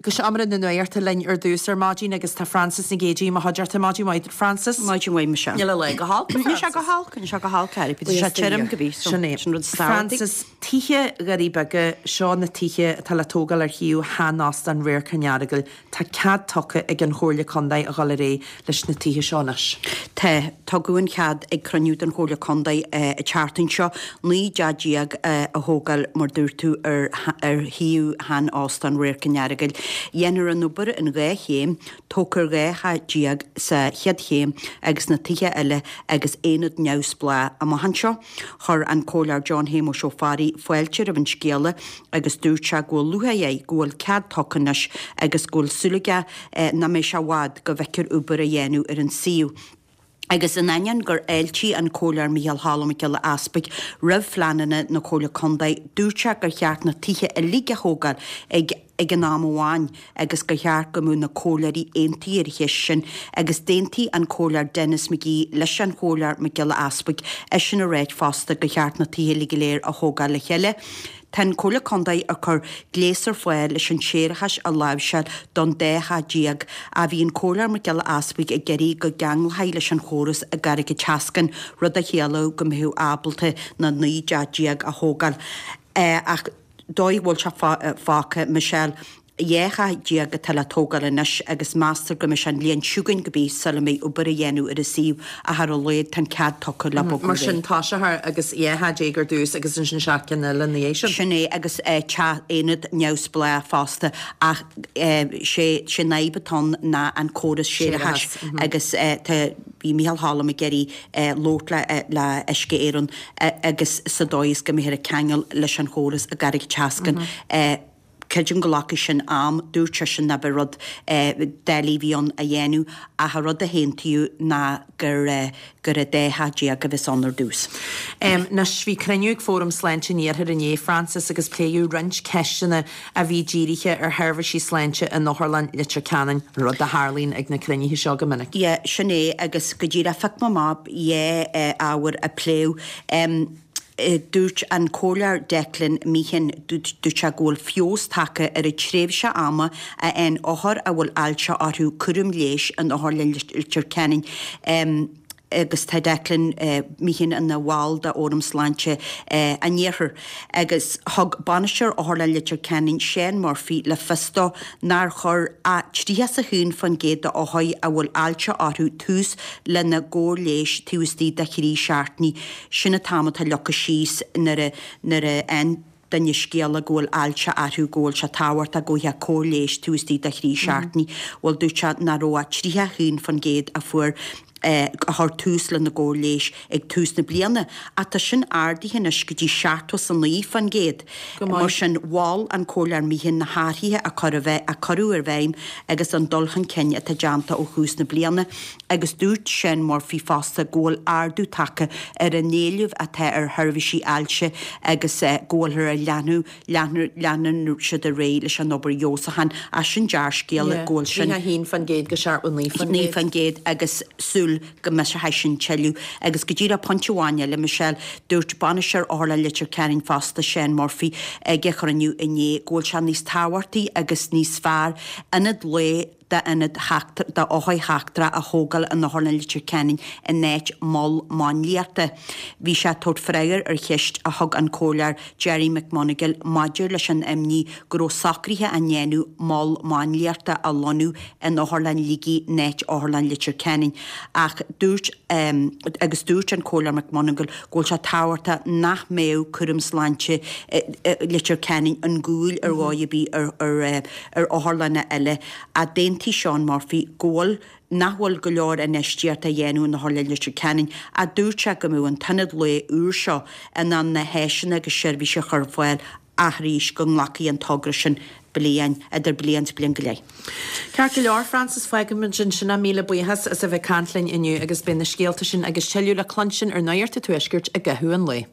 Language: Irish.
go seomra na nuachta linn ar dtús ar maidin agus tá Frances Nic Géadaigh i mo chuideachta. Maidin mhaith, Frances. Maidin mhaith, Michelle. Níl an lá go holc, a Níl sé go holc, níl sé go holc, Harry. Tá sé tirim go bí, so Sin é. sin rud is tábhachtaí. Frances, Tithe Dhoirí Beaga, seo na tithe atá le tógáil ar shuíomh shean-óstán Radharc an Earagail. Tá cead tugtha ag an Chomhairle Contae a dhul ar aghaidh leis na tithe seo anois. Tá. Tugadh an cead ag cruinniú den Chomhairle Contae an tseachtain seo 19 dteach a thógáil, mar dúirt tú, ar ar shuíomh shean-óstán Radharc an Earagail. Dhéanfar an obair in 2 chéim, tógfar 12 theach sa chéad chéim agus na tithe eile agus aonad neamhspleách amach anseo. Chuir an Comhairleoir John Shéamuis Ó Fearraigh fáilte roimh an scéala agus dúirt sé go bhfuil lúcháir air go bhfuil cead tugtha anois agus go bhfuil súil aige nach mbeidh sé i bhfad go bhfeicfear obair á dhéanamh ar an suíomh. Agus in ainneoin gur fháiltigh an Comhairleoir Micheál Choilm Mac Giolla Easpaig roimh phleananna na Comhairle Contae, dúirt sé gur cheart na tithe uilig a thógáil ag ag an am amháin agus gur cheart go mbeadh na comhairleoirí aontaithe ar an cheist sin agus d'aontaigh an Comhairleoir Denis McGee leis an Chomhairleoir Mac Giolla Easpaig eisean a ráit fosta gur cheart na tithe uilig go léir a thógáil le chéile. Tá an Comhairle Contae ag cur gléas ar fáil leis an séarachas a láimhseáil don dá theach ach bhí an Comhairleoir Mac Giolla Easpaig ag iarraidh go gceanglófaí leis an chóras i gCarraig an tSeascainn, rud a chiallódh go mbeadh ábalta na 19 dteach a thógáil. Ach dóigh a bhfuil sé fágtha, Michelle, 12 theach atá le tógáil anois agus meastar go mbeidh sé an bhliain seo chugainn go bí sula mbeidh obair á dhéanamh ar an suíomh ach ar a laghad tá an cead tugtha le bogadh Mar sin toiseofar agus 12 theach ar dtús agus ansin 7 gcinn eile ina dhiaidh sin. Sin é agus teach aonad neamhspleách fosta ach sé an fhadhb atá ann ná an córas séarachais agus tá bhí Micheál Choilm ag iarraidh labhairt le Uisce Éireann agus sa dóigh is go mbeifear ag ceangal leis an chóras i gCarraig an tSeascainn. Creidim go nglacfaidh sin am, dúirt seisean nach b'é rud doiligh a bhí ann a dhéanamh ach an rud a haontaíodh ná gur gur an dá theach déag a bheas ann ar dtús. Anois, bhí cruinniú ag Fóram Sláinte an Iarthair inné, Frances, agus pléadh roinnt ceisteanna a bhí dírithe ar sheirbhísí sláinte in Otharlann Leitir Ceanainn, rud a tharlaíonn ag na cruinnithe seo go minic. Yeah, sin é, agus go díreach phioc mé amach dhá ábhar a pléadh. Dúirt an Comhairleoir Declan Meehan, dúirt sé go bhfuil feabhas tagtha ar an tréimhse ama a fhaigheann othair a bhfuil ailse orthu cúram leighis in Otharlann Leitir Ceanainn. Agus tá Declan Meehan ina bhall de Fhóram Sláinte an Iarthair. Agus thug Bainisteoir Otharlann Leitir Ceanainn, Seán Murphy, le fios dó nár chuir ach 31% d'othair a bhfuil ailse orthu tús lena gcóir leighis taobh istigh de thrí seachtainí. Sin an t-am atá leagtha síos nuair a nuair a fhaigheann duine scéala go bhfuil ailse orthu go bhfuil sé tábhachtach go bhfaighfeá cóir leighis taobh istigh de thrí seachtainí. Bhuel dúirt sé nach raibh ach 31% a fuair a chuir tús lena gcóir leighis ag tús na bliana. Ach tá sin ardaithe anois go dtí 79%. Go maith. Mar sin mhol an Comhairleoir Meehan na hathruithe a a cuireadh i bhfeidhm agus an dul chun cinn atá déanta ó thús na bliana. Agus dúirt Seán Murphy fosta go bhfuil ardú tagtha ar an éileamh atá ar sheirbhísí ailse agus go bhfuilthear ag leathnú, leathnú, leanann siad ar aghaidh leis an obair fheabhsúcháin. Ach sin dea-scéala go bhfuil sin. 31% go 79%. 9% agus súil go mbeidh sé sin tuilleadh. Agus go díreach pointe amháin eile, Michelle, dúirt Bainisteoir Otharlann Leitir Ceanainn fosta, Seán Murphy, ag an chruinniú inné go bhfuil sé níos tábhachtaí agus níos fearr ionad lae d'ionad d'othair sheachtracha a thógáil in Otharlann Leitir Ceanainn in áit mol máinliachta. Bhí sé ag tabhairt freagair ar cheist a thug an Comhairleoir Gerry McMonagall maidir leis an imní go raibh socruithe á ndéanamh mol máinliachta a lonnú in Otharlann Shligigh in áit Otharlann Leitir Ceanainn ach dúirt agus dúirt an Comhairleoir McMonagall go bhfuil sé tábhachtach nach mbeadh cúram sláinte Leitir Ceanainn ón gcúl ar dhóigh ar bith ar ar otharlanna eile, ach d'aontaigh Seán Murphy go bhfuil nach bhfuil go leor infheistíochta á dhéanamh in Otharlann Leitir Ceanainn ach dúirt sé go mbeadh an t-ionad lae úr seo in ann na háiseanna agus seirbhísí a chur ar fáil ach arís go nglacfaidh an togra sin bliain, idir bliain is bliain go leith. Ceart go leor, Frances, fágfaimid ansin é. Míle buíochas as a bheith ag caint linn inniu agus beidh na scéalta sin agus tuilleadh le cluinstin ar Nuacht an Tuaiscirt i gcaitheamh an lae.